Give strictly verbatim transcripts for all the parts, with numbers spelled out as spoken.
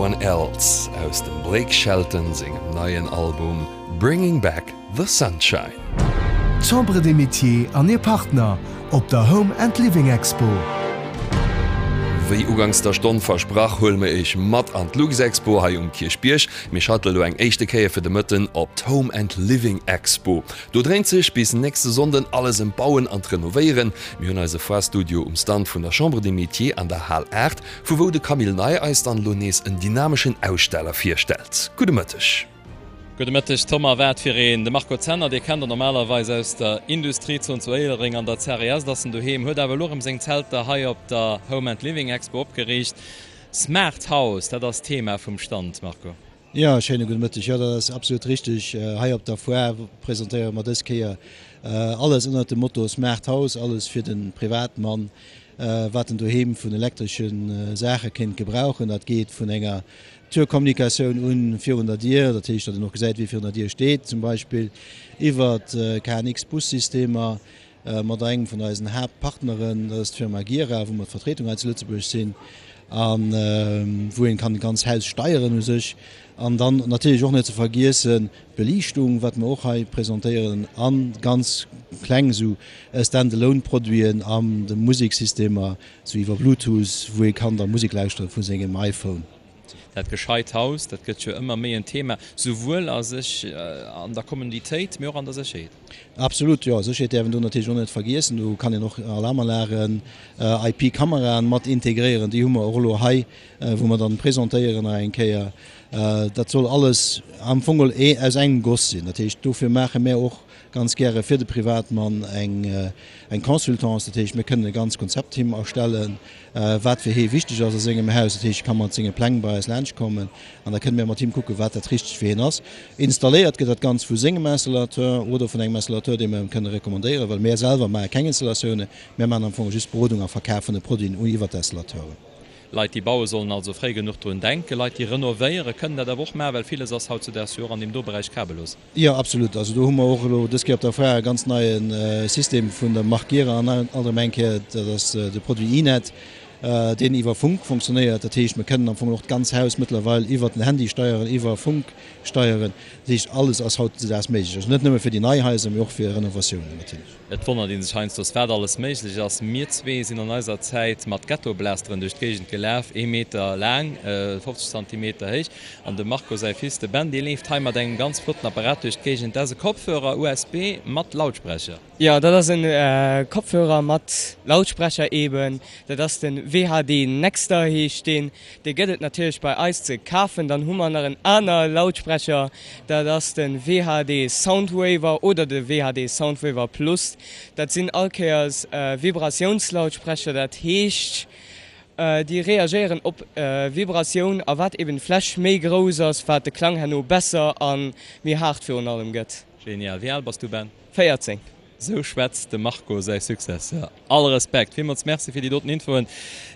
Someone Else aus dem Blake Shelton sengem neien Album Bringing Back the Sunshine. D'Chambre des Métiers an hir Partner op der Home and Living Expo. Wéi ugangs der Stonn versprach, huele mir iech mat an d'Luxexpo hei um Kierchbierg. Mir schalte lo eng éischte Kéier fir de Mëtten op d'Home and Living Expo. Do dréint sech bis nächste Sonnden alles ëm d'Bauen an d'Renovéieren. Mir hunn eise Foire-Studio um Stand vun der Chambre des Métiers an der Hal aacht, vu wou de Camille Ney eis dann elo nees en dynameschen Aussteller virstellt. Gudde Mëtteg. Gudde Mëtteg Tom, a wat fir een! De Marco Zenner, dee kennt der normalerweis aus der Industriezon zu Éilereng an der C R E S, ass en doheem, huet awer elo erëm seng Zelter hei op der Home and Living Expo opgeriicht. Smart House, dat ass d'Thema vum Stand, Marco. Jo, schéine gudde Mëtteg. Jo, dat ass absolut richteg. Hei op der Foire presentéiere mer dës Kéier alles ënnert dem Motto Smart House, alles fir de Privatmann, wat en doheem vun elektresche Saache kéint gebrauchen. Dat geet vun enger Türkommunikatioun un virun der Dier, dat heescht, datt een och gesäit, wie virun der Dier steet zum Beispill, iwwer K N X-Bus-Systemer mat engem vun eisen Haaptpartneren, dat ass d'Firma Gira, wou mer d'Vertretung hei zu Lëtzebuerg sinn, a wou een kann d'ganz Haus steieren u sech. An dann natierlech och net ze vergiessen d'Beliichtung, wat mer och hei presentéieren, a ganz kleng esou Stand-alone-Produiten an de Museksystemer, esou iwwer Bluetooth, wou ee kann da Musek lauschtere vu sengem iPhone. Dat gescheit Haus, dat gëtt jo ëmmer méi en Thema, souwuel a sech an der Kommoditéit, mee och an der Sécherheet. Absolut, jo. Sécherheet däerf een do natierlech och net vergiessen. Do kann een och Alarmanlagen, I P-Kameraen mat integréieren. Déi hu mer och elo hei, wou mer dann presentéieren nach eng Kéier. Dat soll alles am Fong geholl aus engem Goss sinn. Dat heescht, dofir maache mär och ganz gäre fir de Privatmann eng eng Consultance. Dat heescht, mir kënnen e ganz Konzept him erstellen, wat fir hie wichteg ass a sengem Haus. Dat heescht, e ka mat senge Pläng bei eis laanschtkommen an da kënne mir mat him kucken, wat dat Richtegt fir hien ass. Installéiert gëtt dat Ganzt vu sengem Installateur oder vun engem Installateur, dee mir him kënne recommandéieren, well mir selwer maache keng Installatiounen. Mir maachen am Fong just Berodung a Verkaf vun de Produiten un iwwer d'Installateuren. Leit, déi baue sollen also fréi genuch drun denken. Leit, déi renovéieren, kënnen dat awer och maachen, well villes ass hautzudaags jo och an deem do Beräich kabellos. Jo, absolut. Also do hu mer och elo dës Kéier op der Foire e ganz neie System vun der Mark Gira an alt erëm eng Kéier, dat ass de Produit iNet, deen iwwer Funk funktionéiert. Dat heescht, mer kënnen am Fong och d'ganz Haus mëttlerweil iwwer den Handy steieren, iwwer Funk steieren. Dat heescht, alles ass hautzudaags méiglech. Also net nëmme fir déi nei Haiser, mee och fir Renovatiounen natierlech. Et wonnert ee sech heiansdo, wat alles méiglech ass. Mir zwee sinn an eiser Zäit mat Ghettoblasteren duerch d'Géigend gelaf, ee Meter laang, fofzeg Zantimeter héich. An dem Marco säi Fils, de Ben, dee leeft hei mat engem ganz flotten Apparat duerch d'Géigend. Dat ass e Kopfhörer U S B mat Lautsprecher. Jo, dat ass e Kopfhörer mat Lautsprecher eben. Dat ass de W H D Nexter heescht deen. Dee gëtt et natierlech bei eis ze kafen. Dann hu mer nach en aner Lautsprecher, dat ass de W H D Soundwaver oder de W H D Soundwaver Plus. Dat sinn all Kéiers Vibratiounslautsprecher, dat heescht, déi reagéieren op Vibratioun a wat eben d'Fläch méi grouss ass, wat de Klang herno besser a méi haart virun allem gëtt. Genial. Wéi al bass du, Ben? véierzéng. Sou schwätzt dem Marco säi Successeur. All Respekt! Villmools Merci fir déi doten Infoen.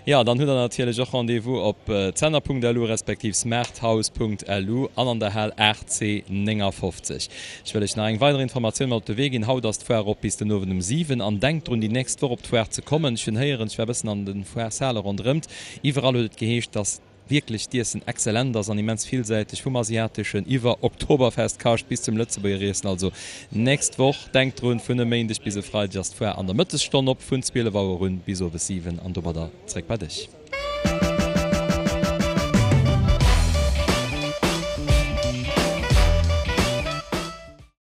Jo, dann hutt der natierlech och Rendez-vous op zenner Punkt L U respektiv smarthouse Punkt L U an an der Hal aacht C néngafofzeg. Ech wëll iech nach eng weider Informatioun mat op de Wee ginn, Haut ass d'Foire op bis den Owend um siwen an denkt drun déi nächst Woch op d'Foire ze kommen. Ech hunn héieren, ech war e bëssen an de Foire-Sale ronderëmt, iwwerall huet et geheescht, dass wierklech d'Iessen exzellent ass an immens villsäiteg, vum asiateschen iwwer Oktoberfest-Kascht bis zum Lëtzebuerger Iessen. Also nächst Woch, denkt drun, vun e Méindeg bis e Freideg ass d'Foire an der Mëttesstonn op, vun zwielef Auer un bis owes siwen an domadder zréck bei dech.